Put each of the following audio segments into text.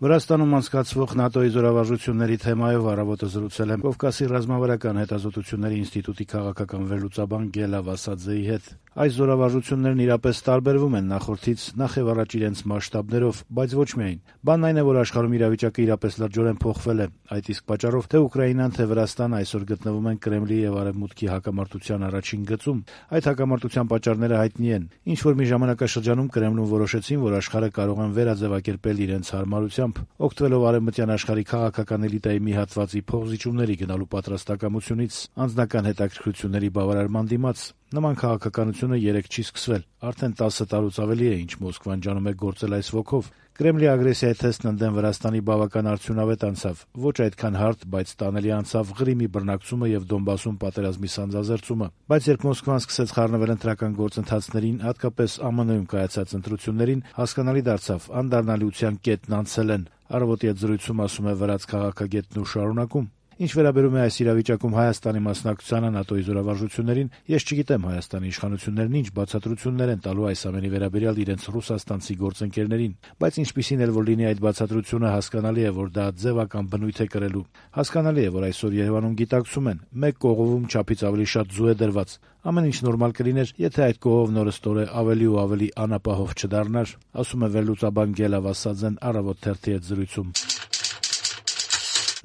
Վրաստանում անցկացվող ՆԱՏՕ-ի զորավարժությունների թեմայով առավոտը զրուցել եմ Կովկասի ռազմավարական հետազոտությունների ինստիտուտի քաղաքական վերլուծաբան Գելա Վասադզեի հետ։ Այս զորավարժություններն իրապես տարբերվում են նախորդից, նախևառաջ իրենց մասշտաբներով, բայց ոչ միայն։ Բանն այն է, որ աշխարհում իրավիճակը իրապես լրջորեն փոխվել է։ Այդ իսկ պատճառով թե Ուկրաինան, թե Վրաստանը այսօր գտնվում են Կրեմլի եւ Արևմուտքի հակամարտության առաջին գծում։ Այդ հակամարտության պատճառները հայտնի են։ Ինչ որ մի ժամանակաշրջանում Կրեմլում որոշեցին, որ աշխարհը կարող են վերաձևակերպել իրենց հարմարությամբ, օգտվելով արևմտյան աշխարհի քաղաքական էլիտայի մի հատվածի փոխզիջումների գնալու պատրաստակամությունից, անձնական հետաքրքրությունների բավարարման դիմաց։ Նման քաղաքականությունը երեկ չի սկսվել։ Արդեն 10 տարուց ավելի է, ինչ Մոսկվան ջանում է գործել այս ոգով։ Կրեմլի ագրեսիայի թեստն ընդդեմ Վրաստանի բավական արդյունավետ անցավ։ Ոչ այդքան հարթ, բայց տանելի անցավ Ղրիմի բռնակցումը եւ Դոնբասում պատերազմի սանձազերծումը։ Բայց երբ Մոսկվան սկսեց խառնվել ընտրական գործընթացներին, հատկապես ԱՄՆ-ում կայացած ընտրություններին, հասկանալի դարձավ՝ անդառնալիության կետն անցել են։ Առավոտի այդ զրույցում ասում է վրաց քաղաքագետն ու շարունակում. Ինչ վերաբերում է այս իրավիճակում Հայաստանի մասնակցությանը ՆԱՏՕ-ի զորավարժություններին, ես չգիտեմ Հայաստանի իշխանություններն ինչ բացատրություններ են տալու այս ամենի վերաբերյալ իրենց ռուսաստանցի գործընկերներին, բայց ինչպիսին էլ որ լինի այդ բացատրությունը, հասկանալի է, որ դա ձևական բնույթ է կրելու։ Հասկանալի է, որ այսօր Երևանում գիտակցում են, մեկ կողովում չափից ավելի շատ ձու է դրված։ Ամեն ինչ նորմալ կլիներ, եթե այդ կողովն օրըստօրե ավելի ու ավելի անապահով չդառնար, ասում է վերլուծաբան Գելա Վասադզեն Առավոտ թերթի հետ զրույցում։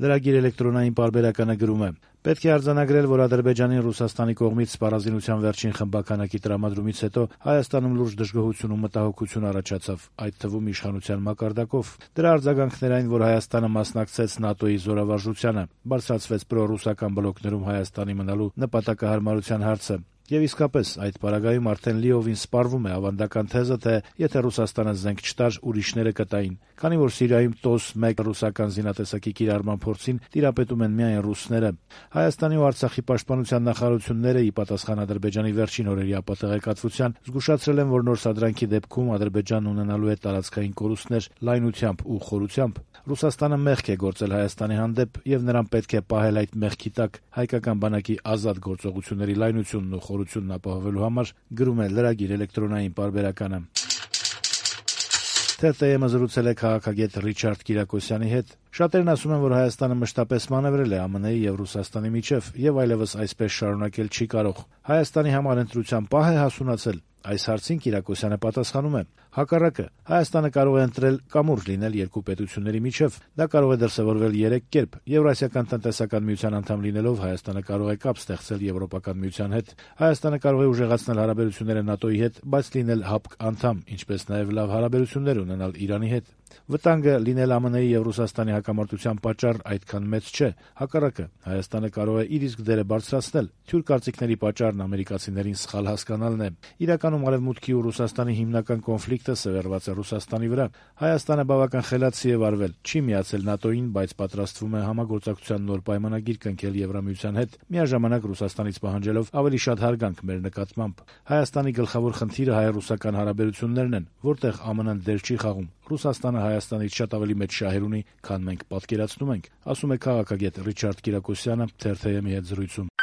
Լրագիր էլեկտրոնային պարբերականը գրում է. «Պետք է արձանագրել, որ Ադրբեջանին Ռուսաստանի կողմից սպառազինության վերջին խմբականակի տրամադրումից հետո Հայաստանում լուրջ դժգոհություն ու մտահոգություն առաջացավ, այդ թվում իշխանության մակարդակով։ Դրա արձագանքն էր այն, որ Հայաստանը մասնակցեց ՆԱՏՕ-ի զորավարժությանը, բարձրացվեց պրոռուսական բլոկներում Հայաստանի մնալու նպատակահարմարության հարցը։ Եվ իսկապես, այդ պարագայում արդեն լիովին սպառվում է ավանդական թեզը, թե եթե Ռուսաստանը զենք չտար, ուրիշները կտային։ Քանի որ Սիրիայում TOS-1 ռուսական զինատեսակի կիրառման փորձին տիրապետում են միայն ռուսները։ Հայաստանի ու Արցախի պաշտպանության նախարարությունները, ի պատասխան Ադրբեջանի վերջին օրերի ապատեղեկատվության, զգուշացրել են, որ նոր սադրանքի դեպքում Ադրբեջանն ունենալու է տարածքային կորուստներ լայնությամբ ու խորությամբ։ Ռուսաստանը մեղք է գործել Հայաստանի հանդեպ եւ նրան պետք է պահել այդ մեղքի տակ հայկական բանակի ազատ գործողությունների լայնությունն ու խորությունն ապահովելու համար, գրում է լրագիր էլեկտրոնային պարբերականը։ ԹՏՄ-ը զրուցել է քաղաքագետ Ռիչարդ Կիրակոսյանի հետ։ Շատերն ասում են, որ Հայաստանը մշտապես մանևրել է ԱՄՆ-ի եւ Ռուսաստանի միջև եւ այլևս այսպես շարունակել չի կարող։ Հայաստանի համար ընտրության պահ է հասունացել։ Այս հարցին Կիրակոսյանը պատասխանում է. հակառակը, Հայաստանը կարող է ընտրել կամուրջ լինել երկու պետությունների միջև։ Դա կարող է դրսևորվել 3 կերպ։ Եվրասիական տնտեսական միության անդամ լինելով Հայաստանը կարող է կապ ստեղծել Եվրոպական միության հետ։ Հայաստանը կարող է ուժեղացնել հարաբերությունները ՆԱՏՕ-ի հետ, բայց լինել ՀԱՊԿ անդամ, ինչպես նաև լավ հարաբերություններ ունենալ Իրանի հետ։ Վտանգը լինել ԱՄՆ-ի եւ Ռուսաստանի հակամարտության պատճառ այդքան մեծ չէ։ Հակառակը, Հայաստանը կարող է իր իսկ դերը բարձրացնել։ Թյուր կարծիքների պատճառն ամերիկացիներին սխալ հասկանալն է։ Իրականում Արևմուտքի ու Ռուսաստանի հիմնական կոնֆլիկտը սևեռված է Ռուսաստանի վրա։ Հայաստանը բավական խելացի է վարվել, չի միացել ՆԱՏՕ-ին, բայց պատրաստվում է համագործակցության նոր պայմանագիր կնքել Եվրամիության հետ, միաժամանակ Ռուսաստանից պահանջելով ավելի շատ հարգանք մեր նկատմամբ։ Հայաստանի գլխավոր խնդիրը հայ-ռուսական հարաբերություններն են, որտեղ ԱՄՆ-ն դեր չի խաղում։ Ռուսաստանը Հայաստանից շատ ավելի մեծ շահեր ունի, քան մենք պատկերացնում ենք, ասում է քաղաքագետ Ռիչարդ Կիրակոսյանը TTM-ի հետ զրույցում։